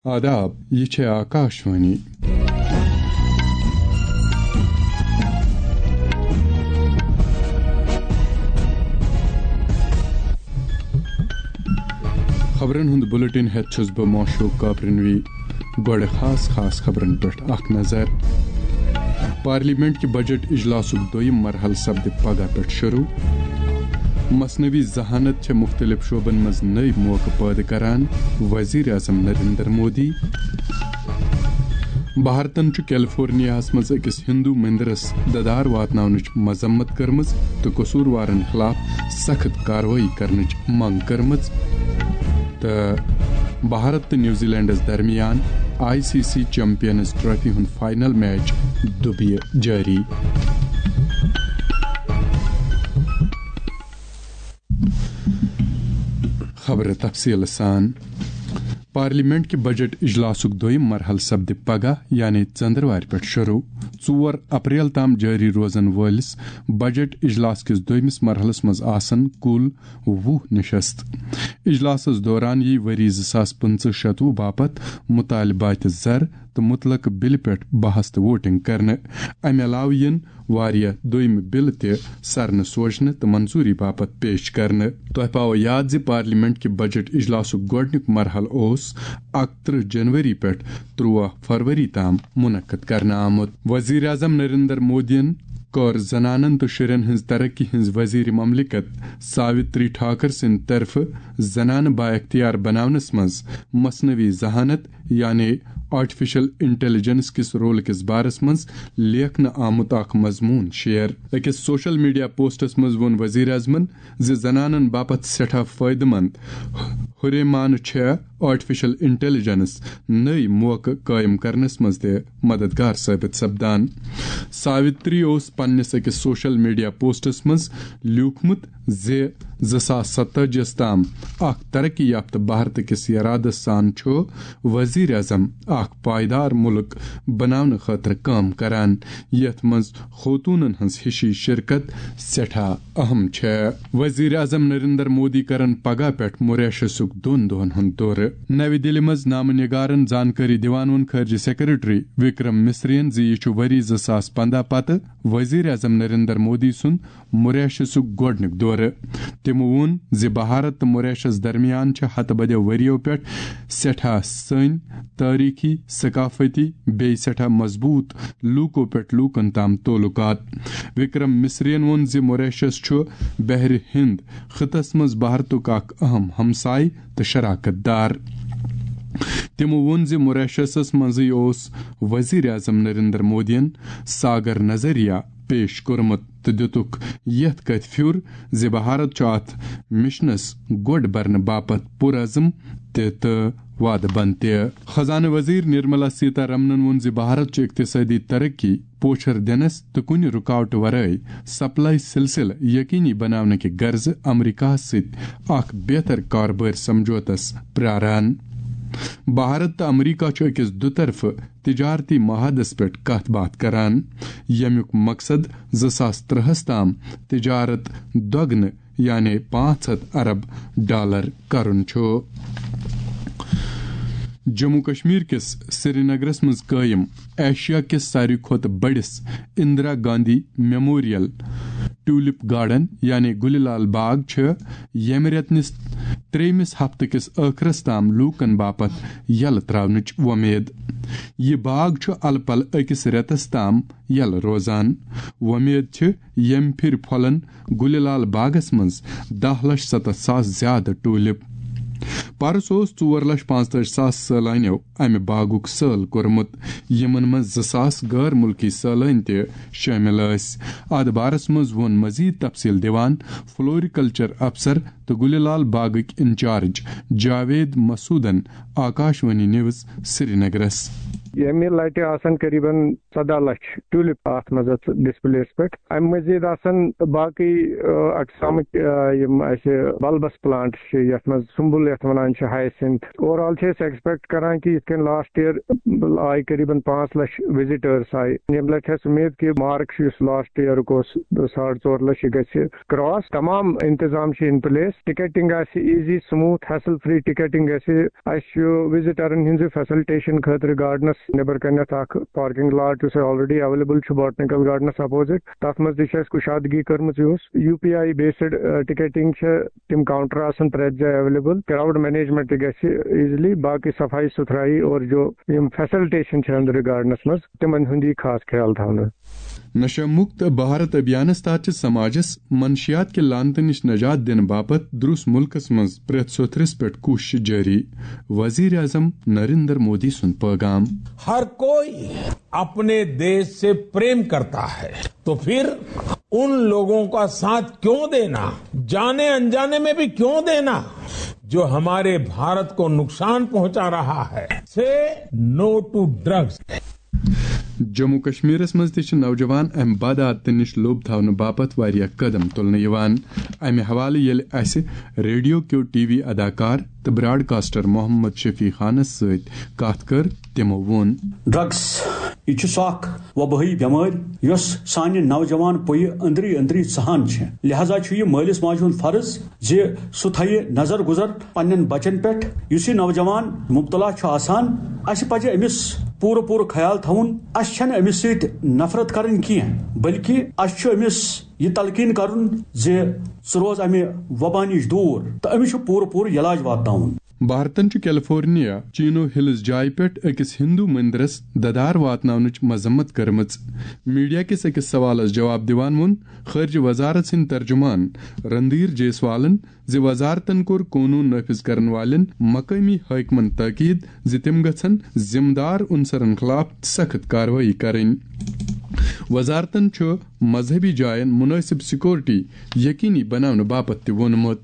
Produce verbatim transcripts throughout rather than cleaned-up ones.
آداب، یہِ چھےٚ آکاشوانی۔ خبرن ہُنٛد بلیٹن ہٮ۪تھ چھُس بہٕ ماشوق کاپرنوی۔ گۄڈٕ خاص خاص خبرن پٮ۪ٹھ اکھ نظر۔ پارلیمنٹ کہِ بجٹ اجلاسُک دوٚیِم مرحلہٕ سپدِ پگاہ پٮ۪ٹھ شروع۔ مصنوعی ذہانت چھےٚ مُختٔلِف شعبن منٛز نٔوۍ موقعہٕ پٲدٕ کران، وزیر اعظم نریندر مودی۔ بھارتن چھُ کیلیفورنیاہس منٛز أکِس ہندو مندرس ددار واتناونٕچ مذمت کٔرمٕژ تہٕ قصوٗروارن خلاف سخت کاروٲیی کرنٕچ منٛگ کٔرمٕژ۔ تہٕ بھارت تہٕ نیوزی لینڈس درمیان I C C champions trophy ہُنٛد فائنل میچ دُبیہِ جٲری۔ خبرٕ تفصیٖل سان۔ پارلیمنٹ کہِ بجٹ اجلاسُک دوٚیِم مرحلہٕ سپدِ پگاہ، یعنی ژٔنٛدٕروارِ پٮ۪ٹھ شروع۔ ژور اپریل تام جٲری روزن وٲلِس بجٹ اجلاس کِس دوٚیمِس مرحلس منٛز آسن کُل وُہ نشست۔ اجلاسس دوران یی ؤری زٕ ساس پٕنٛژٕہ شتوُہ باپتھ مطالبات زر تہٕ مطلق بلہِ پٮ۪ٹھ بحث تہٕ ووٹنگ کرنہٕ۔ امہِ علاوٕ یِن واریاہ دوٚیمہِ بلہٕ تہِ سرنہٕ سوزنہٕ تہٕ منظوٗری باپتھ پیش کرنہٕ۔ تۄہہِ پاوو یاد زِ پارلیمنٹ کہِ بجٹ اجلاسُک گۄڈٕنیُک مرحلہٕ اوس اکترٕہ جنوری پٮ۪ٹھ تُرٛواہ فروری تام منعقد کرنہٕ آمُت۔ وزیر اعظم نریندر مودیَن کٔر زنانن تہٕ شُرٮ۪ن ہٕنٛز ترقی ہٕنٛز وزیر مملکت ساوتری ٹھاکر سٕنٛدِ طرفہٕ زنانہٕ بااختیار بناونس منٛز مصنوعی ذہانت، یعنی آرٹیفیشل انٹیلیجنس کِس رول کِس بارس منٛز لیکھنہٕ آمُت اکھ مضموٗن شیئر۔ أکِس سوشل میڈیا پوسٹس منٛز ووٚن وزیر اعظمن زِ زنانن باپتھ سٮ۪ٹھاہ فٲیدٕ مند ہُریمانہٕ چھےٚ آرٹیفیشل انٹیلیجنس نٔوۍ موقعہٕ قٲیِم کرنس منٛز تہِ مددگار ثٲبت سپدان۔ ساوتری اوس پننِس أکِس سوشل میڈیا پوسٹس منٛز لیوٗکھمُت زِ زٕ ساس ستٲجی یَس تام اکھ ترقی یافتہٕ بھارت کِس ارادس سان چھُ وزیر اعظم اکھ پائیدار مُلک بناونہٕ خٲطرٕ کٲم کران، یتھ منٛز خوتونن ہٕنٛز ہِشی شرکت سٮ۪ٹھاہ اہم چھےٚ۔ وزیر اعظم نریندر مودی کرن پگاہ پٮ۪ٹھ موریشسُک دۄن دۄہن ہُنٛد دورٕ۔ نَوِ دِلہِ منٛز نامہٕ نگارن زانکٲری دِوان ووٚن خارجہ سیکرٹری وکرم مصرین زِ یہِ چھُ ؤری زٕ ساس پنٛداہ پتہٕ وزیر اعظم نریندر مودی سُنٛد موریشسُک گۄڈٕنیُک دورٕ۔ تِمو ووٚن زِ بھارت تہٕ موریشس درمیان چھِ ہتہٕ بدیو ؤرِیو پٮ۪ٹھ سٮ۪ٹھاہ سٔنۍ، تٲریٖخی، ثقافتی، بیٚیہِ سٮ۪ٹھاہ مضبوٗط لوٗکو پٮ۪ٹھ لوٗکن تام تعلقات۔ وکرم مصرین ووٚن زِ موریشس چھُ بحرِ ہند خطس منٛز بھارتُک اکھ اہم ہمسایہِ تہٕ شراکت دار۔ تِمو ووٚن زِ موریشسس منٛزٕے اوس وزیر اعظم نریندر مودیَن ساگر نظریہ پیش کوٚرمُت تہٕ دِتُکھ یَتھ کَتھِ پھیُر زِ بھارت چھُ اَتھ مشنَس گۄڈ برنہٕ باپتھ پُرعزم تہِ تہٕ وعدٕ بنٛد تہِ۔ خزانہٕ وزیر نرملا سیتا رمنَن ووٚن زِ بھارت چھُ اقتصٲدی ترقی پوچھر دِنَس تہٕ کُنہِ رُکاوٹہٕ ورٲے سپلائی سلسلہٕ یقینی بناونہٕ کہِ غرضہٕ امریکہَس سۭتۍ اکھ بہتر کاربٲرۍ سمجھوتس پراران۔ بھارت تہٕ امریکہ چھُ أکِس دُطرفہٕ تجارتی معاہدس پٮ۪ٹھ کتھ باتھ کران، ییٚمیُک مقصد زٕ ساس ترٛہَس تام تجارت دۄگنہٕ، یعنی پانٛژھ ہَتھ ارب ڈالر کرُن چھُ۔ جموں کشمیر کِس سرینگرس منٛز قٲیِم ایشیا کِس ساروی کھۄتہٕ بٔڑِس Indira Gandhi memorial tulip garden, یعنی گُلہِ لال باغ، چھُ ییٚمہِ رٮ۪تہٕ نِس ترٛیٚیمِس ہفتہٕ کِس ٲخرس تام لوٗکن باپتھ یلہٕ تراونٕچ وۄمید۔ یہِ باغ چھُ الہٕ پلہٕ أکِس رٮ۪تس تام یلہٕ روزان۔ وۄمید چھِ ییٚمہِ پھِرِ پھۄلن گُلہِ لال باغس منٛز دَہ لچھ ستتھ ساس زیادٕ ٹولپ۔ پرس اوس ژور لچھ پانٛژتٲجی ساس سٲلانیو امہِ باغُک سٲل کوٚرمُت، یِمن منٛز زٕ ساس غٲر مُلکی سٲلٲنۍ تہِ شٲمِل ٲسۍ۔ اتھ بارس منٛز ووٚن مزید تفصیل دِوان فلوریکلچر افسر تہٕ گُلہِ لال باغٕکۍ انچارج جاوید مسعودن آکاشوانی نیوز سرینگرس۔ ییٚمہِ لٹہِ آسن قریباً ژۄداہ لچھ ٹیولپ اتھ منٛز اتھ ڈسپلیس پٮ۪ٹھ۔ امہِ مزید آسن باقٕے، آ، اقسامٕکۍ، آ، یِم اسہِ بلبس پلانٹ چھِ، یتھ منٛز سُمبل یتھ ونان چھِ، ہائسنتھ۔ اوور آل چھِ أسۍ ایکسپیکٹ کران کہِ یِتھ کٔنۍ لاسٹ ایئر آیہِ قریباً پانٛژھ لچھ وزٹرس آیہِ، ییٚمہِ لٹہِ چھِ اسہِ امید کہِ مارک چھُ یُس لاسٹ ایئرُک اوس، ساڑ ژور لچھ، یہِ گژھِ کراس۔ تمام انتظام چھِ ان پلیس، ٹکٹنگ آسہِ easy, smooth, hassle free ticketing گژھِ۔ اسہِ چھُ وزٹرن ہٕنٛزِ فیسلٹیشن خٲطرٕ گارڈنس نیبر کنٮ۪تھ اکھ پارکنگ لاٹ، یُس آلریڈی اویلیبل چھُ باٹنیکل گارڈنس اپوزٹ۔ تتھ منٛز تہِ چھِ اسہِ کُشادگی کٔرمٕژ۔ یُس U P I based ticketing چھِ، تِم کاؤنٹر آسن پرٛٮ۪تھ جایہِ اویلیبل۔ کراؤڈ مینجمنٹ تہِ گژھِ ایزلی، باقٕے صفائی ستھرائی اور جو یِم فیسلٹیشن چھِ أنٛدرٕ گارڈنس منٛز، تِمن ہُنٛد یی خاص خیال تھاونہٕ۔ نشہ مکت بھارت ابھیانس تحت چھِ سماجس منشیات کہِ لعنتہٕ نِش نجات دِنہٕ باپتھ درُس مُلکس منٛز پرٛٮ۪تھ سوٚتھرِس پٮ۪ٹھ کوٗشش جٲری۔ وزیر اعظم نریندر مودی سُنٛد پٲغام۔ हर कोई अपने देश से प्रेम करता है, तो फिर उन लोगों का साथ क्यों देना, जाने अनजाने में भी क्यों देना, जो हमारे भारत को नुकसान पहुंचा रहा है। से नो टू ड्रग्स। جموں کشمیرس منٛز تہِ چھِ نوجوان امہِ بدعاتہٕ نِش لوٚب تھاونہٕ باپتھ واریاہ قدم تُلنہٕ یِوان۔ امہِ حوالہٕ ییٚلہِ اسہِ ریڈیو کیو ٹی وی اداکار تہٕ براڈکاسٹر محمد شفیع خانس سۭتۍ کتھ کٔر، تِمو ووٚن۔ ڈرگس، یہِ چھُ سُہ اکھ وبٲیی بٮ۪مٲرۍ یۄس سانہِ نوجوان پُیہِ أنٛدری أنٛدری ژہان چھِ۔ لہذا چھُ یہِ مٲلِس ماجہِ ہُنٛد فرض زِ سُہ تھایہِ نظر گُزر پننٮ۪ن بچن پٮ۪ٹھ۔ یُس یہِ نوجوان مبتلا چھُ آسان، اسہِ پزِ أمِس پوٗرٕ پوٗرٕ خیال تھاوُن۔ اسہِ چھنہٕ أمِس سۭتۍ نفرت کرٕنۍ کینٛہہ، بلکہِ اسہِ چھُ أمِس یہِ تلقین کرُن زِ ژٕ روز امہِ وبا نِش دوٗر تہٕ أمِس چھُ پوٗرٕ پوٗرٕ علاج واتناوُن۔ بھارتن چھُ کیلیفورنیا چینو ہلز جایہِ پٮ۪ٹھ أکِس ہندو مندرس ددار واتناونٕچ مذمت کٔرمٕژ۔ میڈیا کِس أکِس سوالس جواب دِوان ووٚن خارجہ وزارت سٕنٛدۍ ترجمان رندھیر جیسوالن زِ وزارتن کوٚر قونوٗن نافذ کرن والٮ۪ن مقٲمی حٲکمن تاکید زِ تِم گژھن ذمہٕ دار عنصرن خلاف سخت کاروٲیی کرٕنۍ۔ وزارتن چھُ مذہبی جاین مناسب سیکورٹی یقینی بناونہٕ باپتھ تہِ ووٚنمُت۔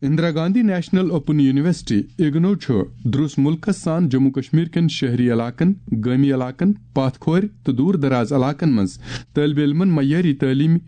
Indira Gandhi national open university, IGNOU, چھُ درُس مُلکس سان جموں کشمیر کٮ۪ن شہری علاقن، گٲمی علاقن، پاتھ کھورِ تہٕ دوٗر دراز علاقن منٛز طٲلبہِ علمن معیٲری تعلیمی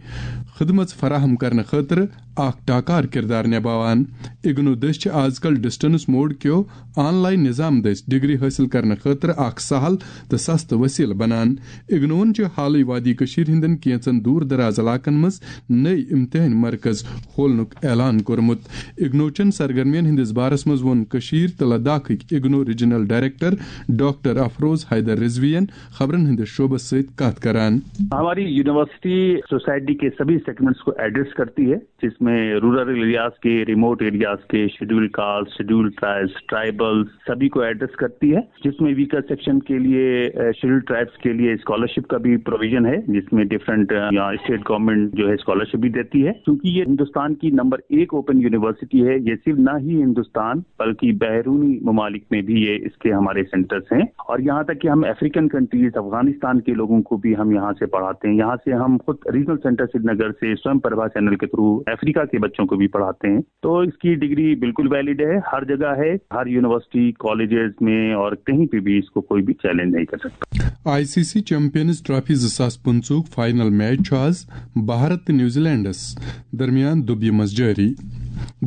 خدمژ فراہم کرنہٕ خٲطرٕ اکھ ٹاکار کردار نباوان۔ اگنو دٔسۍ چھِ آز کل ڈسٹنس موڈ کیو آن لائن نظام دٔسۍ ڈگری حٲصِل کرنہٕ خٲطرٕ اکھ سہل تہٕ سستہٕ وسیلہٕ بنان۔ اگنوون چھِ حالٕے وادی کٔشیٖر ہٕنٛدٮ۪ن کینٛژن دوٗر دراز علاقن منٛز نٔوۍ امتحٲنۍ مرکز کھولنُک اعلان کوٚرمُت۔ اگنو چٮ۪ن سرگرمین ہٕنٛدِس بارس منٛز ووٚن کٔشیٖر تہٕ لداخٕکۍ اگنو ریجنل ڈائریکٹر ڈاکٹر افروز حیدر رضوی ین خبرن ہٕنٛدِس شعبس سۭتۍ کتھ کران۔ ہماری یونیورسٹی سوسائٹی کے سبھی سیگمنٹس کو ایڈریس کرتی ہے، جس میں رورل ایریاز کے، ریموٹ ایریاز کے، schedule caste, schedule tribes, tribal, سبھی کو ایڈریس کرتی ہے، جس میں ویکر سیکشن کے لیے، شیڈول ٹرائبس کے لیے اسکالرشپ کا بھی پروویژن ہے، جس میں ڈفرنٹ یہاں اسٹیٹ گورنمنٹ جو ہے اسکالرشپ بھی دیتی ہے۔ کیونکہ یہ ہندوستان کی نمبر ایک اوپن یونیورسٹی ہے، یہ صرف نہ ہی ہندوستان بلکہ بیرونی ممالک میں بھی یہ اس کے ہمارے سینٹرز ہیں، اور یہاں تک کہ ہم افریقن کنٹریز، افغانستان کے لوگوں کو بھی ہم یہاں سے پڑھاتے ہیں۔ یہاں سے ہم خود ریجنل سینٹر سری نگر سے سوئم پربھا چینل کے تھرو افریقہ کے بچوں کو بھی پڑھاتے ہیں۔ تو اس کی ڈگری بالکل ویلڈ ہے، ہر جگہ ہے، ہر یونیورسٹی، کالجز میں اور کہیں پہ بھی اس کو کوئی بھی چیلنج نہیں کر سکتا۔ I C C champions trophy زٕ ساس پٕنٛژٕہُک فائنل میچ چھُ آز بھارت تہٕ نیوزی لینڈس درمیان دُبیہِ منٛز جٲری۔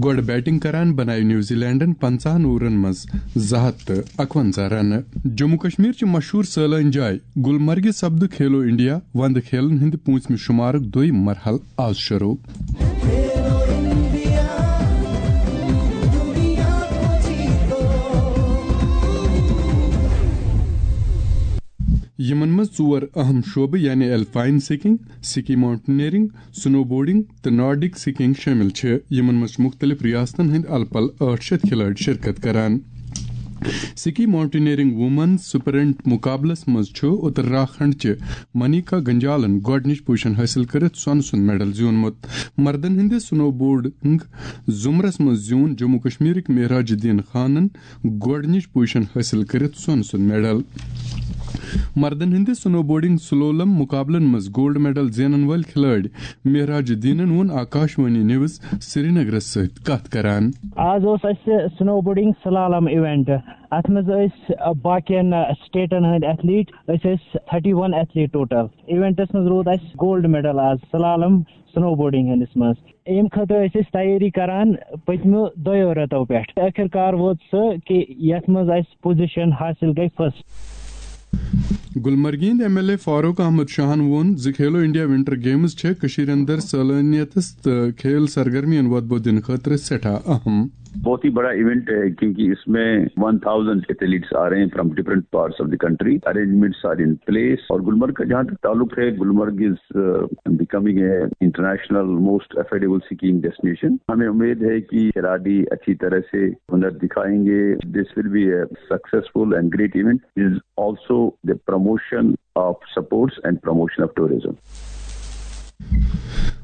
گۄڈٕ بیٹنگ کران بنایہِ نیوزی لینڈن پنٛژاہن اوورن منٛز زٕ ہتھ تہٕ اکونزہ رنہٕ۔ جموں کشمیر چہِ مشہوٗر سٲلٲنۍ جاے گلمرگہِ سپدٕ کھیلو انڈیا وندٕ کھیلن ہٕنٛدِ پوٗنٛژمہِ شُمارُک دوٚیِم مرحلہٕ آز شروٗع۔ یِمن منٛز ژور اہم شعبہٕ یعنی الپائن سکیئنگ، سکی ماؤنٹینئرنگ، سنو بورڈنگ تہٕ نارڈک سکیئنگ شٲمِل چھِ، یِمن منٛز چھِ مُختٔلِف ریاستن ہٕنٛدۍ الہٕ پلہٕ ٲٹھ شیٚتھ کھلٲڑۍ شرکت کران۔ سکی ماؤنٹینئرنگ وومن سپرنٹ مقابلس منٛز چھُ اتراکھنڈ چہِ منیکا گنجالن گۄڈٕنِچ پوزیشن حٲصِل کٔرِتھ سۄنہٕ سُنٛد میڈل زیوٗنمُت۔ مردن ہٕنٛدِ سنو بورڈنگ زمرس منٛز زیوٗن جموں کشمیرٕکۍ معراج الدین خانن گۄڈٕنِچ پوزیشن حٲصِل کٔرِتھ سۄنہٕ سُنٛد میڈل۔ مردن ہٕنٛدِ سنو بورڈنگ سلولم مقابلن منٛز گولڈ میڈل زینن وٲلۍ کھلٲڑۍ معراج الدینن ووٚن آکاش وانی نیوز سرینگرس سۭتۍ کتھ کران۔ آز اوس اسہِ سنو بورڈنگ سلالم ایونٹ۔ اتھ منٛز ٲسۍ باقین سٹیٹن ہٕنٛدۍ ایتھلیٹ، أسۍ ٲسۍ تھرٹی ون ایتھلیٹ ٹوٹل۔ ایونٹس منٛز روٗد اسہِ گولڈ میڈل آز سلالم سنو بورڈنگ ہٕنٛدِس منٛز۔ امہِ خٲطرٕ ٲسۍ أسۍ تیٲری کران پٔتمیو دۄیو رٮ۪تو پٮ۪ٹھ۔ ٲخٕر کار ووت سُہ کہِ یتھ منٛز اسہِ پوزیشن حٲصِل گٔے فرسٹ۔ گلمرگہِ ہٕنٛدۍ M L A Farooq Ahmad شاہن ووٚن زِ کھیلو انڈیا ونٹر گیمز چھےٚ کٔشیٖرِ اندر صلٲحیتس تہٕ کھیل سرگرمین وۄدبو دِنہٕ خٲطرٕ سٮ۪ٹھاہ اہم۔ بہت ہی بڑا ایونٹ ہے، کیونکہ اس میں ون تھاؤزینڈ ایتھلیٹس آ رہے ہیں from different parts of the country. Arrangements are in place, اور گلمرگ کا جہاں تک تعلق ہے، Gulmarg is becoming a international most affordable skiing destination. ہمیں امید ہے کہ کھلاڑی اچھی طرح سے ہنر دکھائیں گے۔ This will be a successful and great event. Is also the promotion of sports and promotion of tourism.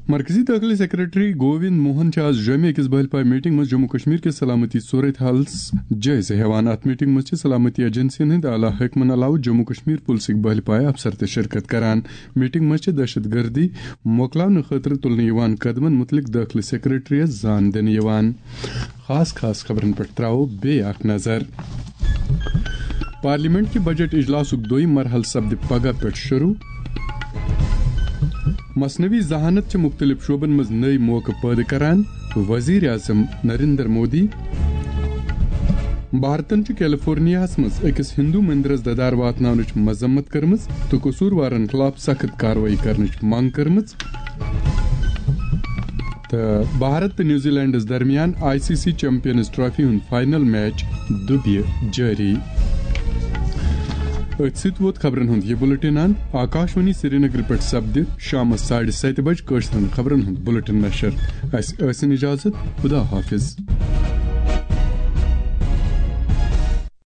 مرکزی دٲخلہٕ سیکرٹری گووند موہن چھِ آز جوٚمہِ أکِس بٔلۍ پایہِ میٹنگ منٛز جموں کشمیر کِس سلامتی صورت حالس جٲیزٕ ہٮ۪وان۔ اتھ میٹنگ منٛز چھِ سلامتی ایجنسین ہٕنٛدۍ اعلیٰ حٲکمن علاوٕ جموں کشمیر پُلسٕکۍ بٔلۍ پایہِ افسر تہِ شرکت کران۔ میٹنگ منٛز چھِ دہشت گردی مۄکلاونہٕ خٲطرٕ تُلنہٕ یِوان قدمن مُتعلق دٲخلہٕ سیکرٹریس زان دِنہٕ یِوان۔ خاص خاص خبرن پٮ۪ٹھ ترٛاوو بیٚیہِ اکھ نظر۔ پارلیمنٹ کہِ بجٹ اجلاسُک دوٚیِم مرحلہٕ سپدِ پگاہ پٮ۪ٹھ شروع۔ مصنوعی ذہانت چھِ مُختٔلِف شعبن منٛز نٔوۍ موقعہٕ پٲدٕ کران، وزیر اعظم نریندر مودی۔ بھارتن چھُ کیلیفورنیاہس منٛز أکِس ہندو مندرس ددار واتناونٕچ مذمت کٔرمٕژ تہٕ قصوٗروارن خلاف سخت کاروٲیی کرنٕچ منٛگ کٔرمٕژ۔ تہٕ بھارت تہٕ نیوزی لینڈس درمیان I C C champions trophy ہُنٛد فائنل میچ دُبیہِ جٲری۔ أتھۍ سۭتۍ ووت خبرن ہُنٛد یہِ بُلٹن اند۔ آکاش وانی سرینگر پٮ۪ٹھ سپدِ شامس ساڑِ ستہِ بجہِ کٲشرٮ۪ن خبرن ہُنٛد بُلٹن نشر۔ اسہِ ٲسِن اجازت، خدا حافظ۔